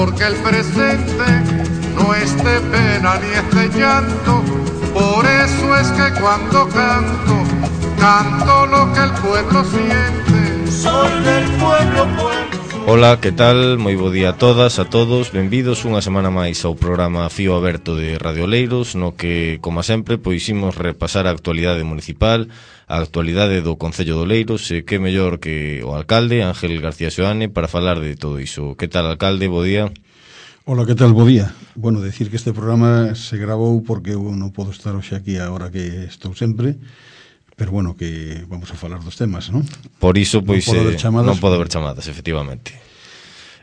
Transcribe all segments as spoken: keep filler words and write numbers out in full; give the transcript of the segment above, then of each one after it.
porque el presente no es de pena ni es de llanto. Por eso es que cuando canto, canto lo que el pueblo siente. Soy del pueblo, pueblo. Ola, que tal? Moi bo día a todas, a todos. Benvidos unha semana máis ao programa Fío Aberto de Radio Oleiros, no que, como sempre, pois imos repasar a actualidade municipal, a actualidade do Concello de Oleiros, e que mellor que o alcalde, Ángel García Xoane, para falar de todo iso. Que tal, alcalde? Bo día. Ola, que tal? Bo día. Bueno, decir que este programa se grabou porque eu non podo estar hoxe aquí a hora que estou sempre, pero bueno, que vamos a falar dos temas, non? Por iso, pois, non pode haber chamadas, non pode haber chamadas efectivamente.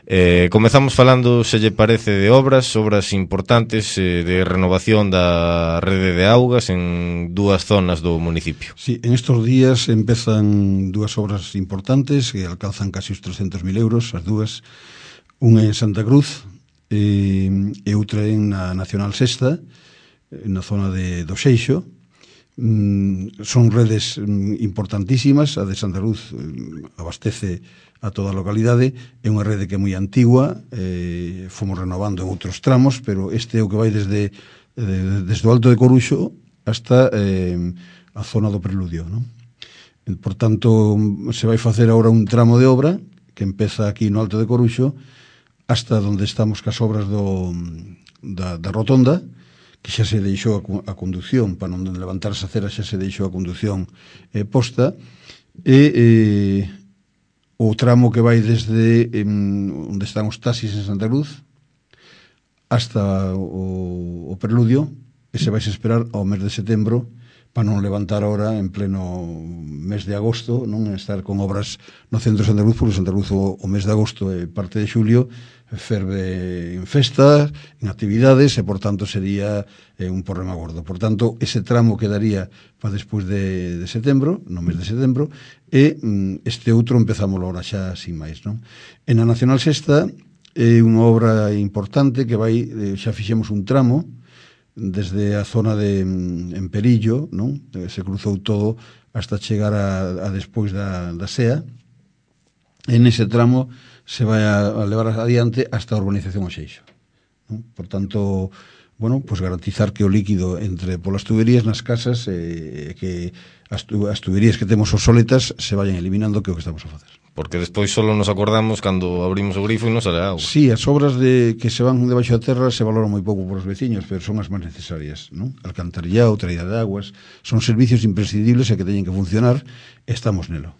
Eh, comezamos falando, se lle parece, de obras, obras importantes eh, de renovación da rede de augas en dúas zonas do municipio. Sí, en estos días empezan dúas obras importantes que alcanzan casi os trescentos mil euros, as dúas, unha en Santa Cruz e, e outra en na Nacional Sexta, na zona de do Seixo. Mm, son redes mm, importantísimas. A de Santa Cruz mm, abastece a toda a localidade, é unha rede que é moi antigua, eh, fomos renovando en outros tramos, pero este é o que vai desde, eh, desde o Alto de Coruxo hasta eh, a zona do Preludio, non? Por tanto, se vai facer agora un tramo de obra que empeza aquí no Alto de Coruxo hasta onde estamos cas obras do, da, da rotonda, que xa se deixou a, a conducción, para non levantarse a cera, xa se deixou a conducción eh, posta, e eh, o tramo que vai desde eh, onde están os taxis en Santa Cruz hasta o, o Preludio, ese vais a esperar ao mes de setembro, para non levantar ahora en pleno mes de agosto, non estar con obras no centro de Santa Cruz, porque Santa Cruz o, o mes de agosto e parte de xulio ferve en festas, en actividades, e por tanto sería eh, un problema gordo. Por tanto, ese tramo quedaría para despois de, de setembro, no mes de setembro, e mm, este outro empezámoslo ahora xa sin máis, non? En a Nacional Sexta é unha obra importante que vai, eh, xa fixemos un tramo desde a zona de en Perillo, non? Se cruzou todo hasta chegar a, a despois da, da S E A. En ese tramo se vai a, a levar adiante hasta a urbanización Oxeixo, non? Por tanto, bueno, pues garantizar que o líquido entre polas tuberías nas casas e eh, que as, tu, as tuberías que temos obsoletas se vayan eliminando, que é o que estamos a facer. Porque despois só nos acordamos cando abrimos o grifo e non sale agua. Sí, as obras de que se van debaixo da terra se valoran moi pouco por os veciños, pero son as máis necesarias, non? Alcantarillado, traída de aguas, son servicios imprescindibles e que teñen que funcionar, estamos nelo.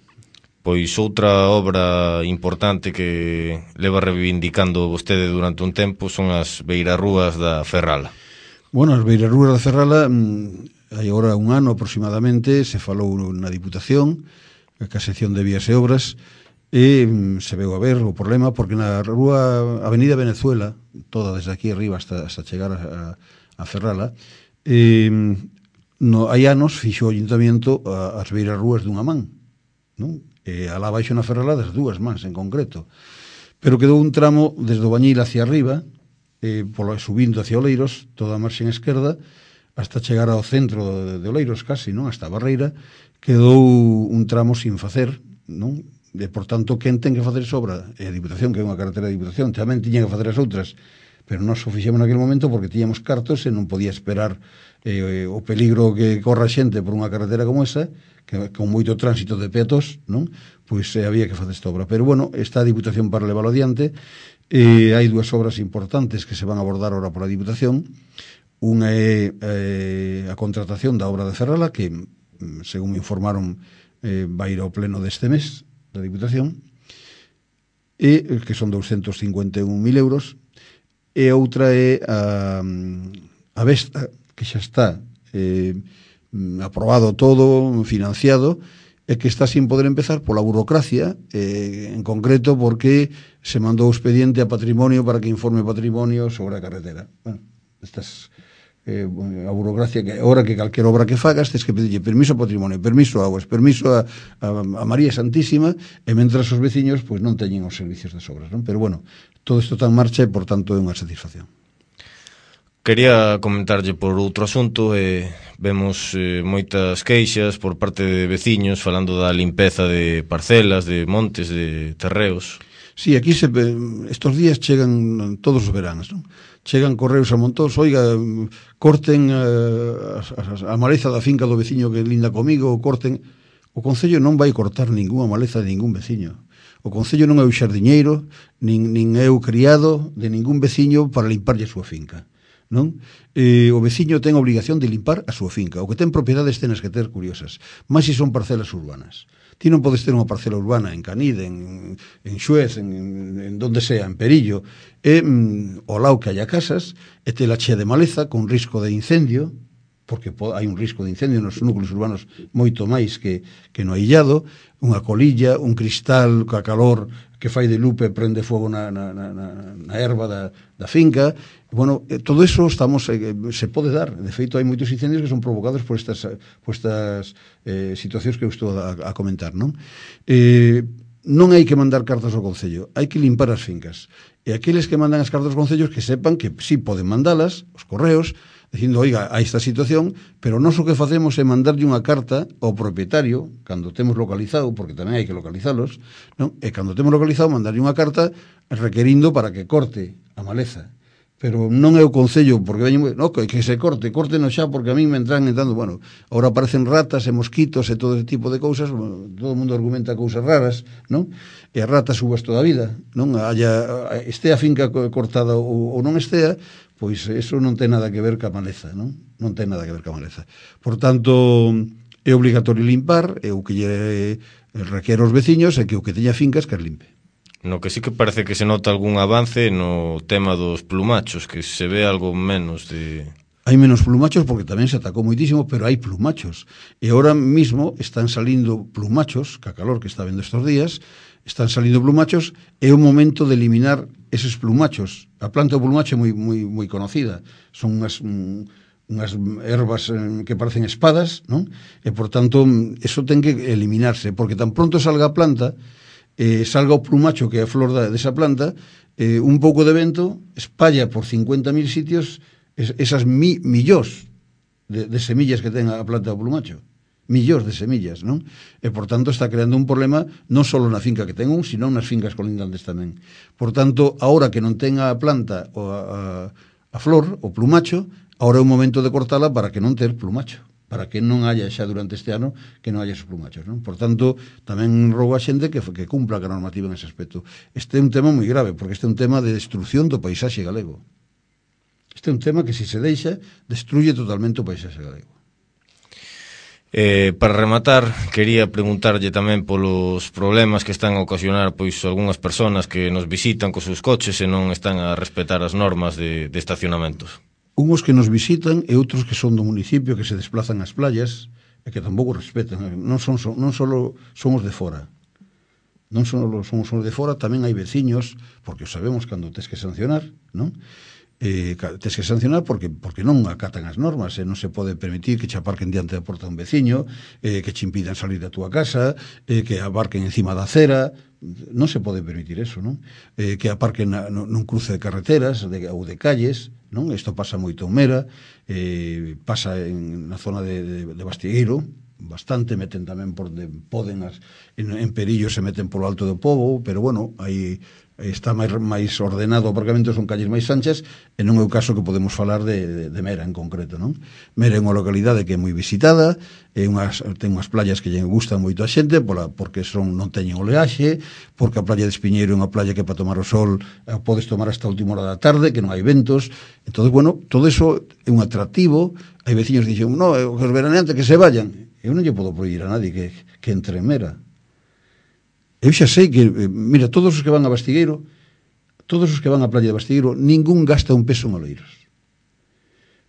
Pois outra obra importante que leva reivindicando vostede durante un tempo son as beirarrúas da Ferrala. Bueno, as beirarrúas da Ferrala, hai agora un ano aproximadamente, se falou na Diputación, a sección de vías e obras, e se veu a ver o problema, porque na rúa Avenida Venezuela, toda desde aquí arriba hasta, hasta chegar a, a Ferrala, eh, no, hai anos fixo o Ayuntamiento as beirarrúas dunha man, non? E alá baixo na Ferrala das dúas mans en concreto, pero quedou un tramo desde o Bañil hacia arriba, eh, polo, subindo hacia Oleiros, toda a marxen esquerda, hasta chegar ao centro de Oleiros casi, non? Hasta a Barreira, quedou un tramo sin facer, non? E, por tanto, quen ten que facer esa obra? E a Diputación, que é unha carretera de Diputación, tamén tiña que facer as outras, pero nós o fixemos naquele momento porque tiñamos cartos e non podía esperar eh, o peligro que corra xente por unha carretera como esa, que con moito tránsito de peatos, non? Pois eh, había que facer esta obra. Pero, bueno, está a Diputación para leválo adiante, e hai dúas obras importantes que se van a abordar ahora por a Diputación. Unha é eh, a contratación da obra de Ferrala, que, según me informaron, eh, vai ir ao pleno deste mes da Diputación, e que son doscientos cincuenta e un mil euros, e outra é a, a Vesta, que xa está eh, aprobado todo, financiado, e que está sin poder empezar pola burocracia, eh, en concreto porque se mandou o expediente a Patrimonio para que informe Patrimonio sobre a carretera. Bueno, estas eh, a burocracia que ahora que calquera obra que fagas tens que pedirlle permiso a Patrimonio, permiso a aguas, permiso a, a, a María Santísima, e mentras os veciños pois non teñen os servicios das obras, non? Pero bueno, todo isto está en marcha e por tanto é unha satisfacción. Quería comentarlle por outro asunto, eh, vemos eh, moitas queixas por parte de veciños falando da limpeza de parcelas, de montes, de terreos. Sí, aquí se, estos días chegan todos os veranos, non? Chegan correos a montón, oiga, corten a, a, a maleza da finca do veciño que linda comigo, ou corten. O Concello non vai cortar ningunha maleza de ningún veciño. O Concello non é o xardiñeiro, nin, nin é o criado de ningún veciño para limparlle a súa finca, non? Eh, o veciño ten a obligación de limpar a súa finca. O que ten propiedades tenes que ter curiosas, máis se son parcelas urbanas. Ti non podes ter unha parcela urbana en Canide, en, en Xuez, en, en donde sea, en Perillo, e mm, ao lado que haya casas, e te la chea de maleza con risco de incendio, porque hai un risco de incendio nos núcleos urbanos moito máis que, que no aillado, unha colilla, un cristal ca calor que fai de lupe e prende fogo na, na, na, na erva da, da finca. Bueno, todo eso estamos eh, se pode dar. De feito, hai moitos incendios que son provocados por estas, por estas eh, situacións que eu estou a, a comentar, non? Eh, non hai que mandar cartas ao Concello, hai que limpar as fincas. E aqueles que mandan as cartas aos Concellos que sepan que sí poden mandalas, os correos, dicindo, oiga, a esta situación, pero nós o que facemos é mandarlle unha carta ao propietario, cando temos localizado, porque tamén hai que localizalos, non? E cando temos localizado, mandarlle unha carta requerindo para que corte a maleza. Pero non é o Concello, porque veñen, no, que se corte, córtenos xa, porque a mí me entran entrando, bueno, agora aparecen ratas e mosquitos e todo ese tipo de cousas, bueno, todo o mundo argumenta cousas raras, non? E as ratas subas toda a vida, non? Haya, estea a finca cortada ou, ou non estea, pois eso non ten nada que ver ca maleza, non? Non ten nada que ver ca maleza. Por tanto, é obligatorio limpar, e o que lle requere aos veciños é que o que teña fincas que as limpe. No que sí que parece que se nota algún avance no tema dos plumachos, que se ve algo menos de... Hai menos plumachos porque tamén se atacou moitísimo, pero hai plumachos. E ahora mismo están salindo plumachos, que a calor que está vendo estes días, están salindo plumachos, é o momento de eliminar eses plumachos. A planta do plumacho é moi, moi, moi conocida. Son unhas... Un, unhas ervas que parecen espadas, non? E, por tanto, eso ten que eliminarse, porque tan pronto salga a planta, eh, salga o plumacho que é a flor da, desa planta, eh, un pouco de vento espalla por cincuenta mil sitios es, esas mi, millós de, de semillas que ten a planta do plumacho. Millós de semillas, non? E, por tanto, está creando un problema non só na finca que ten un, sino nas fincas colindantes tamén. Por tanto, ahora que non ten a planta o a, a, a flor, o plumacho, ahora é o momento de cortala para que non ter plumacho, para que non haya xa durante este ano que non haya esos plumachos, non? Por tanto, tamén rogo a xente que, que cumpla a normativa nese aspecto. Este é un tema moi grave, porque este é un tema de destrucción do paisaxe galego. Este é un tema que, se se deixa, destruye totalmente o paisaxe galego. Eh, para rematar, quería preguntarlle tamén polos problemas que están a ocasionar pois algunhas persoas que nos visitan cos seus coches e non están a respetar as normas de, de estacionamentos. Unhos que nos visitan e outros que son do municipio, que se desplazan ás playas e que tampouco respetan. Non son, non só somos de fora. Non só somos de fora, tamén hai veciños, porque sabemos cando tes que sancionar, non? Eh, tes que sancionar porque porque non acatan as normas, e non se pode permitir que che aparquen diante da porta un veciño, eh, que che impidan salir da túa casa, eh, que aparquen encima da acera. Non se pode permitir eso, non? Eh, que aparquen na, nun cruce de carreteras de, ou de calles, non? Isto pasa moito en Mera, eh, pasa en, na zona de, de, de Bastigueiro, bastante, meten tamén por de poden as, en, en Perillo se meten polo alto do Pobo, pero bueno, aí está máis, máis ordenado o aparcamento, son calles máis anchas, e non é o caso que podemos falar de, de, de Mera en concreto, non? Mera é unha localidade que é moi visitada, é unhas, ten unhas playas que lle gustan moito a xente, pola, porque son non teñen oleaxe, porque a playa de Espiñeiro é unha playa que para tomar o sol eh, podes tomar hasta a última hora da tarde, que non hai ventos. Entón, bueno, todo eso é un atractivo. Hai veciños que dixen, no, os veraneantes que se vayan. Eu non lle podo prohibir a nadie que, que entre en Mera. Eu xa sei que, mira, todos os que van a Bastigueiro, todos os que van á playa de Bastigueiro, ningún gasta un peso en oleiros.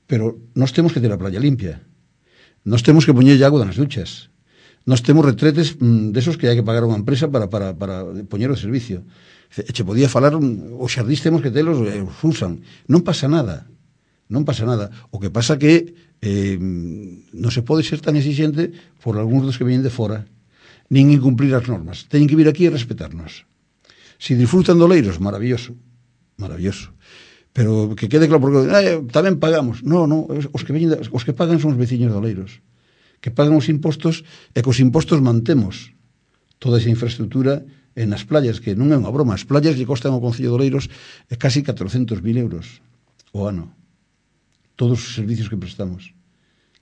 Pero nós temos que ter a playa limpia. Nós temos que poñer agua nas duchas. Nós temos retretes mm, desos que hai que pagar a unha empresa para, para, para poñer o servicio. E che podía falar, os xardís temos que telos, eh, os usan. Non pasa nada. Non pasa nada. O que pasa que eh, non se pode ser tan exigente por algúns dos que veñen de fora, nin incumplir as normas. Teñen que vir aquí e respetarnos. Si disfrutan de oleiros, maravilloso, maravilloso. Pero que quede claro, porque eh, tamén pagamos. No, no, os que veñen, os que pagan son os veciños de oleiros, que pagan os impostos, e cos impostos mantemos toda esa infraestructura E nas playas, que non é unha broma, as playas lle costan ao Concello de Oleiros é casi catrocentos mil euros o ano. Todos os servicios que prestamos.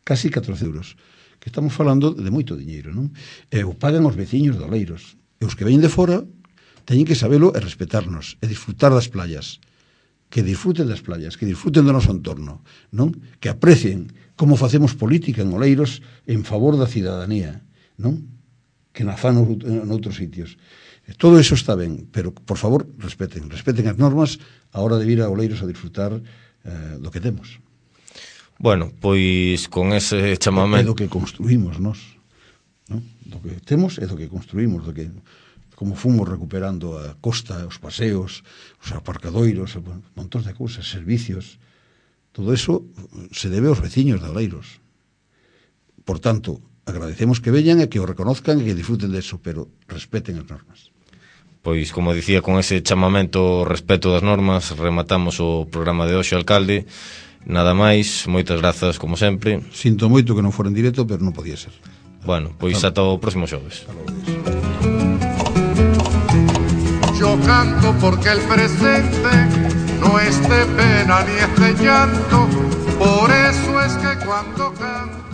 Casi catrocentos euros. Que estamos falando de moito diñeiro, non? E o pagan os veciños de Oleiros. E os que veñen de fora teñen que sabelo e respetarnos, e disfrutar das playas. Que disfruten das playas, que disfruten do noso entorno, non? Que aprecien como facemos política en Oleiros en favor da cidadanía, non? Que na fan noutros sitios. Todo eso está ben, pero, por favor, respeten, respeten as normas a hora de vir a Oleiros a disfrutar eh, do que temos. Bueno, pois con ese chamamento... É do que construímos, nós. Non? Do que temos é do que construímos, do que como fomos recuperando a costa, os paseos, os aparcadoiros, montón de cousas, servicios. Todo eso se debe aos veciños de Oleiros. Por tanto, agradecemos que veñan e que o reconozcan e que disfruten de eso, pero respeten as normas. Pois, como dicía, con ese chamamento ao respeto das normas, rematamos o programa de hoxe, alcalde. Nada máis, moitas grazas, como sempre. Sinto moito que non fora en directo, pero non podía ser. Bueno, pois ata o próximo xoves. Yo canto porque el presente no es de pena ni es de llanto, por eso es que cuando canto